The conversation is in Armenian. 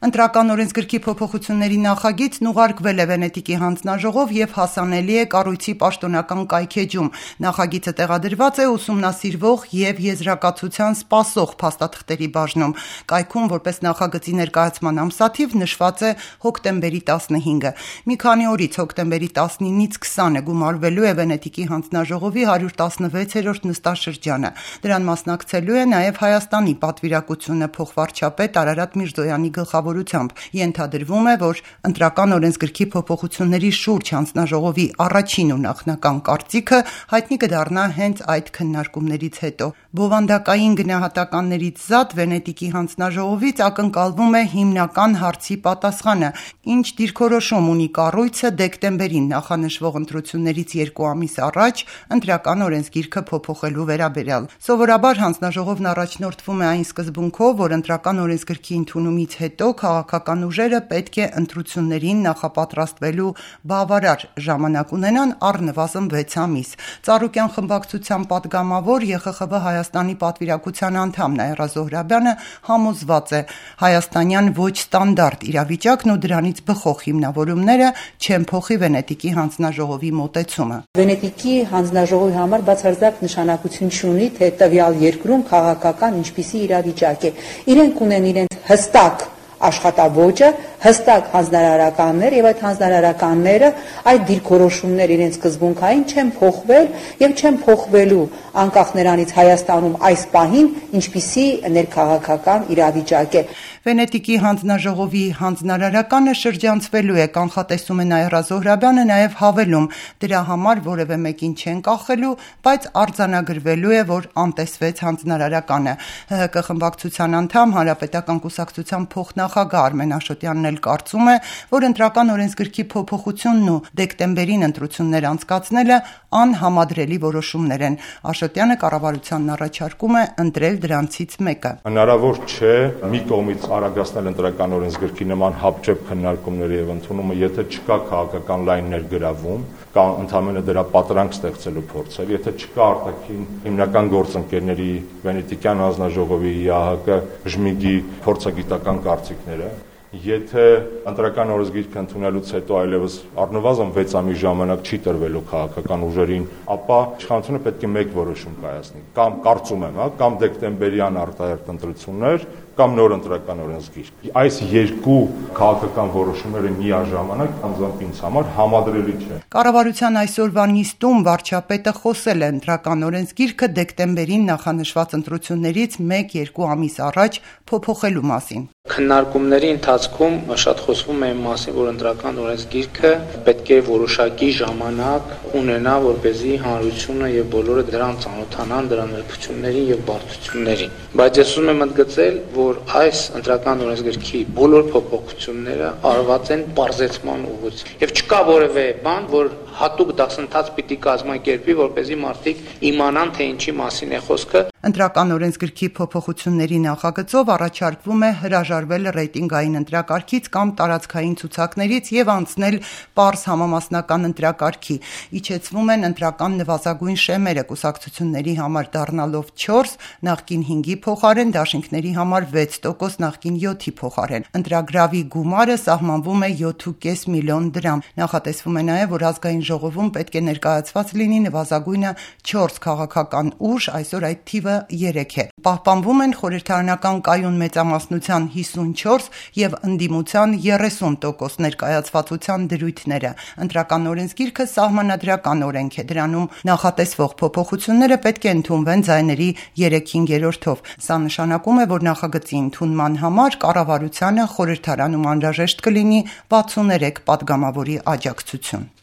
Ընտրական օրենսգրքի փոփոխությունների նախագիծն ուղարկվել է Վենետիկի հանձնաժողով և հասանելի է կառույցի պաշտոնական կայքէջում։ Նախագիծը տեղադրված է ուսումնասիրվող և եզրակացության սպասող փաստաթղթերի բաժնում։ Կայքում որպես նախագծի ներկայացման ամսաթիվ նշված է հոկտեմբերի 15-ը։ Մի քանի օրից հոկտեմբերի 19-ից 20-ը գումարվելու է Վենետիկի հանձնաժողովի 116-րդ նստաշրջանը։ Դրան մասնակցելու է նաև Հայաստանի պատվիրակությունը փոխվարչապետ Արարատ Միրզոյանի գլխավորությամբ։ Ենթադրվում է, որ ընտրական օրենսգրքի փոփոխությունների շուրջ հանձնաժողովի առաջին ու նախնական կարծիքը հայտնի կդառնա հենց այդ քննարկումներից հետո։ Բովանդակային գնահատականներից զատ Վենետիկի հանձնաժողովից ակնկալվում է հիմնական հարցի պատասխանը, ինչ դիրքորոշում ունի կառույցը դեկտեմբերին նախանշվող ընտրություններից 2 ամիս առաջ ընտրական օրենսգիրքը փոփոխելու վերաբերյալ։ Սովորաբար հանձնաժողովն առաջնորդվում է այն սկզբունքով, որ ընտրական օրենսգրքի ընդունումից հետո քաղաքական ուժերը պետք է ընտրություններին նախապատրաստվելու բավարար ժամանակ ունենան առնվազն 6 ամիս։ Ծառուկյան խմբակցության պատգամավոր ԵԽԽՎ Հայաստանի պատվիրակության անդամ Նաիրա Զոհրաբյանը համոզված է, հայաստանյան ոչ ստանդարտ իրավիճակն ու դրանից բխող հիմնավորումները չեն փոխի Վենետիկի հանձնաժողովի մոտեցումը։ Վենետիկի հանձնաժողովի համար բացարձակ նշանակություն չունի, թե տվյալ երկրում քաղաքական ինչպիսի իրավիճակ է։ Իրենք ունեն իրենց հստակ աշխատաոճը, հստակ հանձնարարականներ եւ այդ հանձնարարականները այդ դիրքորոշումները իրենց սկզբունքային չեն փոխվել եւ չեն փոխվելու անկախ նրանից Հայաստանում այս պահին ինչպիսի ներքաղաքական իրավիճակ է։ Վենետիկի հանձնաժողովի հանձնարարականը շրջանցվելու է, կանխատեսում է Նաիրա Զոհրաբյանը, նաև հավելում, դրա համար որևէ մեկին չեն կախելու, բայց արձանագրվելու է, որ անտեսվեց հանձնարարականը։ ՀՀԿ խմբակցության անդամ Հանրապետական կուսակցության փոխնախագահ Արմեն Աշոտյանն էլ կարծում է, որ ընտրական օրենսգրքի փոփոխությունն ու դեկտեմբերին ընտրություններ անցկացնելը անհամադրելի որոշումներ են։ Աշոտյանը կառավարությանն առաջարկում է ընտրել դրանցից մեկը։ Հնարավոր չէ մի կողմից արագացնել ընտրական օրենսգրքի նման հապճեպ քննարկումները եւ ընդունումը, եթե չկա քաղաքական լայն ներգրավում կամ ընդհանրապես դրա պատրանք ստեղծելու փորձեր, եթե չկա արտաքին հիմնական գործընկերների Վենետիկյան հանձնաժողովի, ՀՀԿ, ԺՄԻԳ-ի փորձագիտական կարծիքները, եթե ընտրական օրենսգիրքը ընդունելուց հետո այլևս առնվազն 6 ամիս ժամանակ չի տրվելու քաղաքական ուժերին, ապա իշխանությունը պետք է մեկ որոշում կայացնի, կամ կարծում եմ, կամ դեկտեմբերյան արտահերթ ընտրություններ, կամ նոր ընտրական օրենսգիր։ Այս երկու քաղաքական որոշումները միաժամանակ անձամբ ինձ համար համադրելի չէ։ Կառավարության այսօրվա նիստում վարչապետը խոսել է ընտրական օրենսգիրքը դեկտեմբերին նախանշված ընտրություններից 1-2 ամիս առաջ փոփոխելու մասին։ Քննարկումների ընթացքում շատ խոսվում է մասին, որ ընտրական օրենսգիրքը պետք է որոշակի ժամանակ ունենա, որպեսզի հանրությունը եւ բոլորը դրան ծանոթանան, դրա նրբություններին եւ բարդություններին։ Բայց ես ուզում եմ ընդգծել, որ այս ընտրական օրենսգրքի բոլոր փոփոխությունները արված են բարձեցման ուղղությամբ եւ չկա որևէ բան, որ հատուկ դասընթաց պիտի կազմակերպվի, որպեսզի մարդիկ իմանան, թե ինչի մասին է խոսքը։ Ընտրական օրենսգրքի փոփոխությունների նախագծով առաջարկվում է հրաժարվել ռեյտինգային ընտրակարգից կամ տարածքային ցուցակներից եւ անցնել պարզ համամասնական ընտրակարգի։ Իջեցվում են ընտրական նվազագույն շեմերը կուսակցությունների համար դառնալով 4, նախկին 5-ի փոխարեն, դաշինքների համար 6%, նախկին 7-ի փոխարեն։ Ընտրագրավի գումարը սահմանվում է 7.5 միլիոն դրամ։ Նախատեսվում է նաեւ, որ ազգային ժողովում պետք է ներկայացված լինի նվազագույնը 4 քաղաքական ուժ, այսօր այդ թիվը 3 է։ Պահպանվում են խորհրդարանական կայուն մեծամասնության 54 եւ ընդդիմության 30% ներկայացվածության դրույթները։ Ընտրական օրենսգիրքը սահմանադրական օրենք է, դրանում նախատեսվող փոփոխությունները պետք է ընդունվեն ձայների 3/5-ով։ Սա նշանակում է, որ նախագծի ընդունման համար կառավարությանը խորհրդարանում անհրաժեշտ կլինի 63 պատգամավորի աջակցություն։